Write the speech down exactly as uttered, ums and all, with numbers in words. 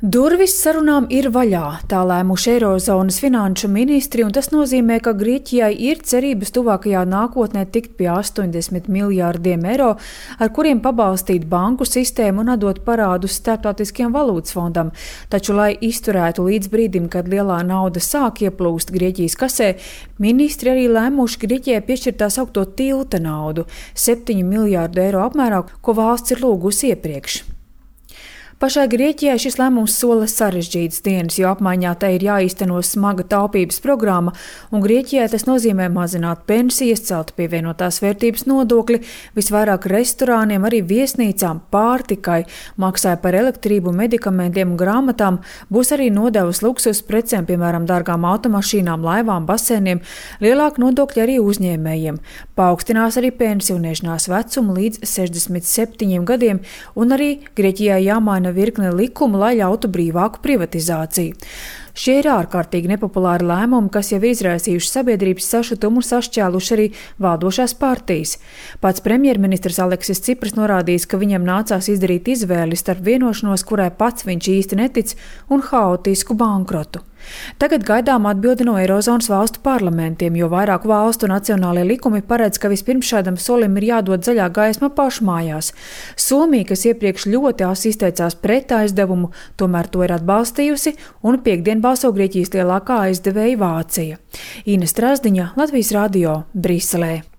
Durvis sarunām ir vaļā, tā lēmuši Eirozonas finanšu ministri, un tas nozīmē, ka Grieķijai ir cerības tuvākajā nākotnē tikt pie astoņdesmit miljārdiem eiro, ar kuriem pabalstīt banku sistēmu un atdot parādus Starptautiskajam valūtas fondam. Taču, lai izturētu līdz brīdim, kad lielā nauda sāk ieplūst Grieķijas kasē, ministri arī lēmuši Grieķijai piešķirt tā saukto tilta naudu – septiņu miljārdu eiro apmērā, ko valsts ir lūgusi iepriekš. Pašai Grieķijai šis lēmums sola sarežģītas dienas, jo apmaiņā tai ir jāīsteno smaga taupības programma, un Grieķijai tas nozīmē mazināt pensijas, celt pievienotās vērtības nodokli, visvairāk restorāniem, arī viesnīcām, pārtikai, maksāja par elektrību, medikamentiem un grāmatām, būs arī nodevas luksus precēm, piemēram, dārgām automašīnām, laivām, basēniem, lielāk nodokļi arī uzņēmējiem. Paaugstinās arī pensionēšanās vecumu līdz sešdesmit septiņiem gadiem, un arī Grieķijai jāmaina virkne likumu, lai ļautu brīvāku privatizāciju. Šie ir ārkārtīgi nepopulāri lēmumi, kas jau izraisījuši sabiedrības sašutumu un sašķēluši arī valdošās partijas. Pats premjerministrs Aleksis Cipras norādījis, ka viņam nācās izdarīt izvēli starp vienošanos, kurai pats viņš īsti netic, un haotisku bankrotu. Tagad gaidām atbildi no Eirozonas valstu parlamentiem, jo vairāku valstu nacionālie likumi paredz, ka vispirms šādam solim ir jādod zaļā gaisma pašmājās. Somija, kas iepriekš ļoti asi izteicās pret aizdevumu, tomēr to ir atbalstījusi, un piekdien balso Grieķijas lielākā aizdevēja Vācija. Ines Strazdiņa, Latvijas radio, Briselē.